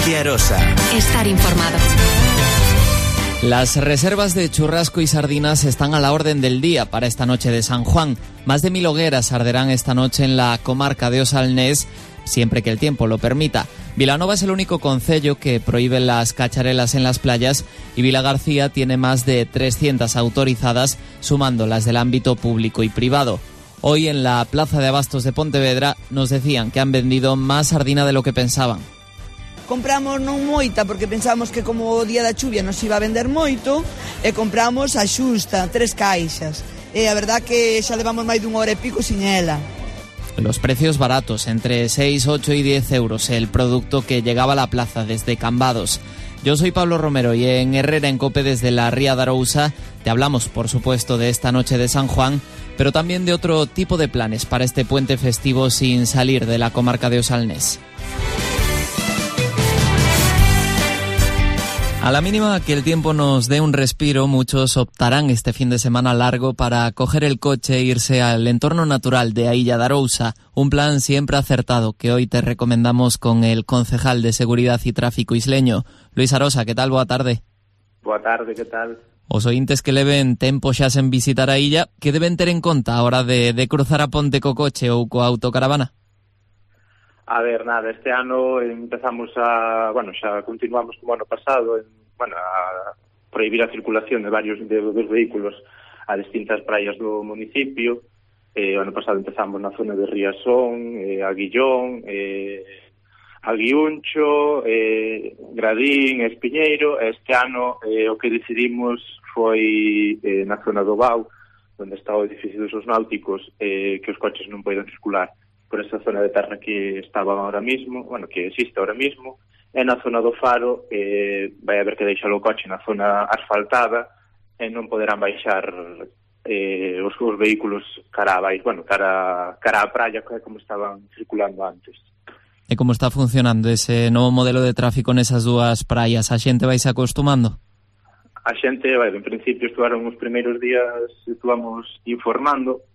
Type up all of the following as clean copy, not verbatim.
de Arosa. Estar informado. Las reservas de churrasco y sardinas están a la orden del día para esta noche de San Juan. Más de 1000 hogueras arderán esta noche en la comarca de Osalnés, siempre que el tiempo lo permita. Vilanova es el único concello que prohíbe las cacharelas en las playas y Vilagarcía tiene más de 300 autorizadas, sumando las del ámbito público y privado. Hoy en la Plaza de Abastos de Pontevedra nos decían que han vendido más sardina de lo que pensaban. Compramos non moita porque pensábamos que como o día da chuvia nos iba a vender moito e compramos a xusta, 3 caixas. E a verdad que xa levamos máis dunha hora e pico sin ela. Los precios baratos, entre 6, 8 y 10 euros, el producto que llegaba a la plaza desde Cambados. Yo soy Pablo Romero y en Herrera en Cope desde la Ría de Arousa te hablamos, por supuesto, de esta noche de San Juan, pero también de otro tipo de planes para este puente festivo sin salir de la comarca de Osalnés. A la mínima que el tiempo nos dé un respiro, muchos optarán este fin de semana largo para coger el coche e irse al entorno natural de a Illa de Arousa, un plan siempre acertado que hoy te recomendamos con el concejal de Seguridad y Tráfico isleño. Luis Arosa, que tal? Boa tarde. Boa tarde, que tal? Os ointes que leven tempo xa sen visitar a illa, que deben ter en conta a hora de cruzar a ponte co coche ou coa autocaravana? A ver, nada, este ano empezamos xa continuamos como ano pasado, a prohibir a circulación de varios dos vehículos a distintas praias do municipio. O ano pasado empezamos na zona de Riazón, Aguillón, Aguiuncho, Gradín, Espiñeiro. Este ano o que decidimos foi na zona do Bau, onde está o edificio dos náuticos, que os coches non poden circular por esa zona de terra que estaba ahora mismo, que existe ahora mismo, e na zona do Faro vai haber que deixar o coche na zona asfaltada e non poderán baixar os vehículos cara a praia, como estaban circulando antes. E como está funcionando ese novo modelo de tráfico nesas dúas praias? A xente vai se acostumando? A xente, en principio, estuvaron os primeiros días, estuvamos informando,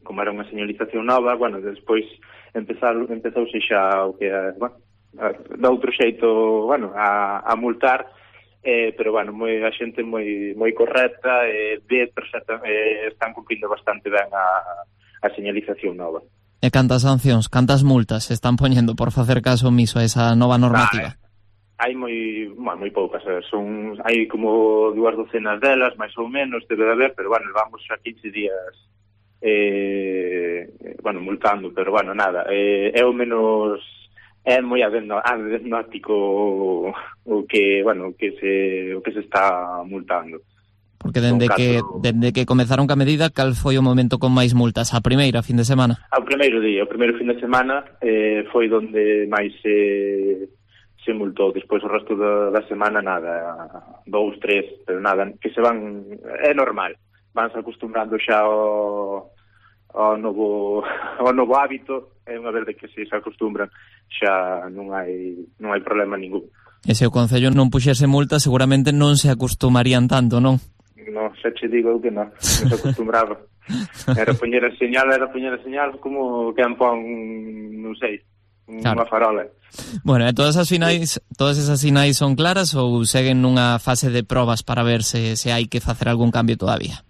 como era unha señalización nova, despois empezouse xa o que de outro xeito, a multar, pero a xente moi correcta, están cumprindo bastante ben a señalización nova. E cantas sancións, cantas multas se están poñendo por facer caso omiso a esa nova normativa? Hai moi poucas, hai como 2 docenas delas, máis ou menos, debe de haber, pero vamos a 15 días multando, pero nada, é o menos, é moi agnóstico o que se está multando. Porque dende que comezaron ca medida, cal foi o momento con máis multas? A primeira fin de semana? O primeiro fin de semana foi donde máis se multou. Despois o resto da semana nada, 2, 3, pero nada, que se van, é normal, vanse acostumbrando xa ao novo hábito, e unha vez de que se acostumbran xa non hai problema ningún. E se o Concello non puxese multa, seguramente non se acostumarían tanto, non? Non, xa che digo que non se acostumbraba. Era poñer a señal como que pon, non sei, unha farola. Bueno, e todas esas sinais son claras ou seguen nunha fase de probas para ver se hai que facer algún cambio todavía?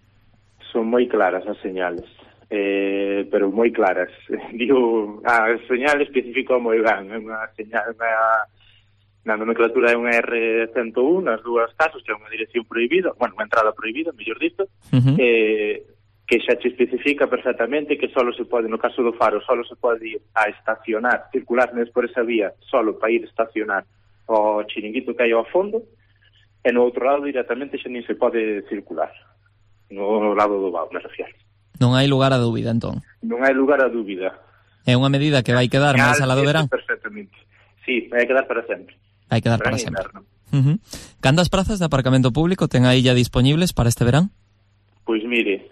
Son moi claras as señales, pero moi claras. Digo, a señal especificou moi ben, é unha señal, na nomenclatura é unha R101, nas dúas casos, que é unha dirección prohibida, unha entrada prohibida, mellor dito, que xa te especifica perfectamente que solo se pode, no caso do Faro, solo se pode ir a estacionar, circular por esa vía, solo para ir a estacionar o chiringuito que hai ao fondo, e no outro lado directamente xa nin se pode circular. No lado do Bau, me refiero. Non hai lugar a dúbida, entón? Non hai lugar a dúbida. É unha medida que vai quedar máis alá do verán? Perfectamente. Sí, vai quedar para sempre. Vai quedar para sempre. Cantas prazas de aparcamento público ten a illa disponibles para este verán? Pois mire,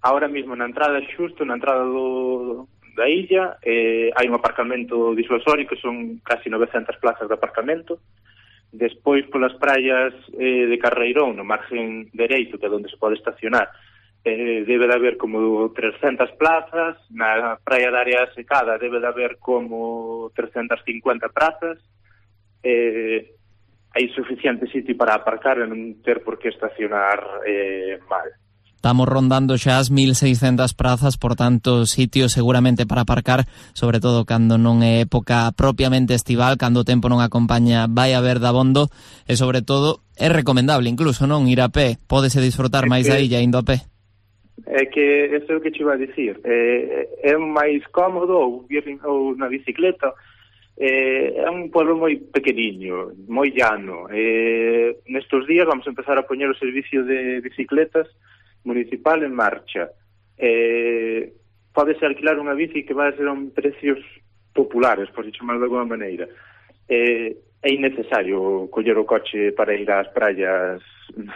ahora mismo na entrada da illa hai un aparcamento disuasorio que son casi 900 plazas de aparcamento. Despois polas praias de Carreirón, no margen dereito, que é onde se pode estacionar, debe de haber como 300 plazas. Na praia de Área Secada debe de haber como 350 plazas. hai suficiente sitio para aparcar e non ter por que estacionar mal. Estamos rondando xa as 1.600 prazas, por tanto, sitios seguramente para aparcar, sobre todo cando non é época propiamente estival, cando o tempo non acompaña, vai haber dabondo, e sobre todo é recomendable incluso, non, ir a pé, pódese disfrutar máis da illa indo a pé. É que, eso é o que te iba a dicir, é máis cómodo ou na bicicleta. É un pueblo moi pequeniño, moi llano. Nestes días vamos a empezar a poñer o servicio de bicicletas municipal en marcha. Pódese alquilar unha bici que vai a ser a precios populares, por se chamar de alguma maneira. É innecesario coller o coche para ir ás praias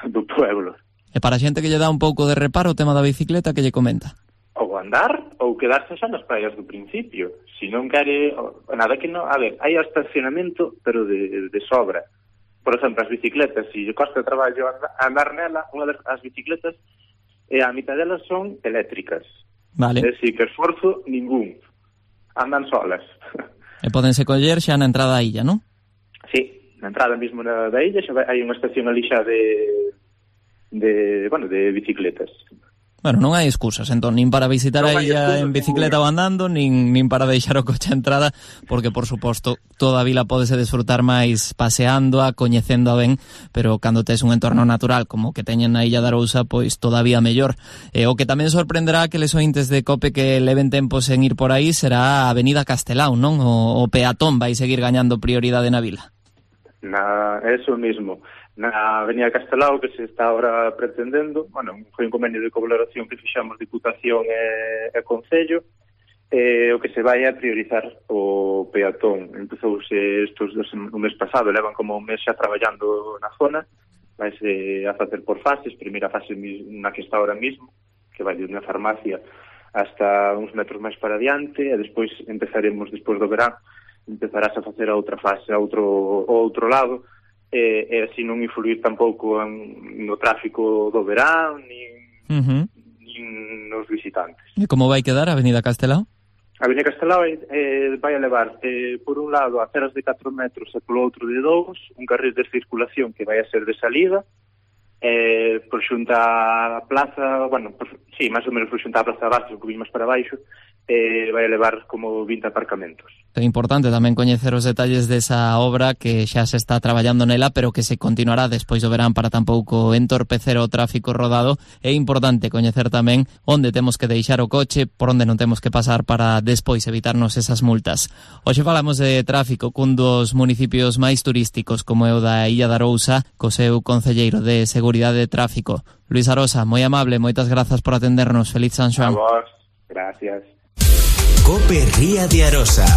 do pueblo. E para a xente que lle dá un pouco de reparo o tema da bicicleta, que lle comenta? Ou andar, ou quedarse xa nas praias do principio. Se non quere, nada que non... A ver, hai estacionamento, pero de sobra. Por exemplo, as bicicletas, se costa de traballo andar nela, unha das bicicletas, a mitad delas son eléctricas. Vale. É dicir, que esforzo ningún. Andan solas. E podense coller xa na entrada da illa, non? Sí, na entrada mesmo da illa xa hai unha estación ali xa de bicicletas. Bueno, non hai excusas, entón, nin para visitar a illa en bicicleta ou andando, nin para deixar o coche a entrada, porque, por suposto, toda a vila podese desfrutar máis paseándoa, coñecéndoa ben, pero cando tes un entorno natural como que teñen na illa de Arousa, pois todavía mellor. O que tamén sorprenderá que les ointes de COPE que leven tempos en ir por aí será a Avenida Castelao, non? O peatón vai seguir gañando prioridade na vila. Eso mismo. Na Avenida Castelao, que se está ahora pretendendo, foi un convenio de colaboración que fixamos Diputación e Concello, o que se vai a priorizar o peatón. Empezouse o mes pasado, levan como un mes xa traballando na zona, vaise a facer por fases, primeira fase na que está ahora mismo, que vai de unha farmacia hasta uns metros máis para diante, e despois empezaremos, despois do verán, empezarás a facer a outra fase, ao outro lado, e así non influir tampouco no tráfico do verán nin nos visitantes. E como vai quedar a Avenida Castelao? A Avenida Castelao vai a levar por un lado aceras de 4 metros e polo outro de 2, un carril de circulación que vai a ser de salida, por xunta a plaza, máis ou menos por xunta a plaza de Bastos, un poquinho máis para baixo, vai a levar como 20 aparcamentos. É importante tamén coñecer os detalles desa obra que xa se está traballando nela, pero que se continuará despois do verán para tampouco entorpecer o tráfico rodado. É importante coñecer tamén onde temos que deixar o coche, por onde non temos que pasar para despois evitarnos esas multas. Hoxe falamos de tráfico cun dos municipios máis turísticos como é o da Illa de Arousa, co seu concelleiro de Seguridade de Tráfico. Luis Arosa, moi amable, moitas grazas por atendernos. Feliz San Xoán. A vos, gracias. COPE Ría de Arosa.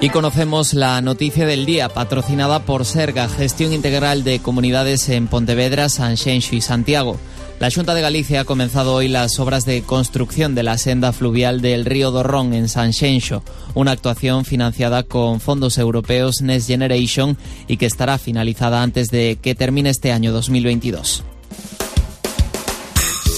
Y conocemos la noticia del día, patrocinada por Serga, Gestión Integral de Comunidades en Pontevedra, Sanxenxo y Santiago. La Xunta de Galicia ha comenzado hoy las obras de construcción de la senda fluvial del río Dorrón en Sanxenxo, una actuación financiada con fondos europeos Next Generation y que estará finalizada antes de que termine este año 2022.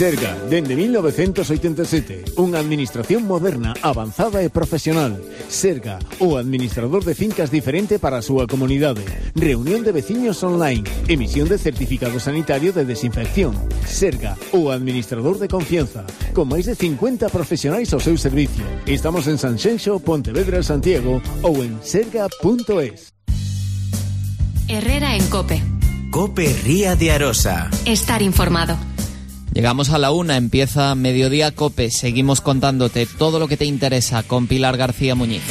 Serga, dende 1987, unha administración moderna, avanzada e profesional. Serga, o administrador de fincas diferente para a súa comunidade. Reunión de veciños online, emisión de certificado sanitario de desinfección. Serga, o administrador de confianza, con máis de 50 profesionais ao seu servicio. Estamos en Sanxenxo, Pontevedra, Santiago ou en serga.es. Herrera en COPE. COPE Ría de Arosa. Estar informado. Llegamos a la 1, empieza Mediodía COPE. Seguimos contándote todo lo que te interesa con Pilar García Muñiz.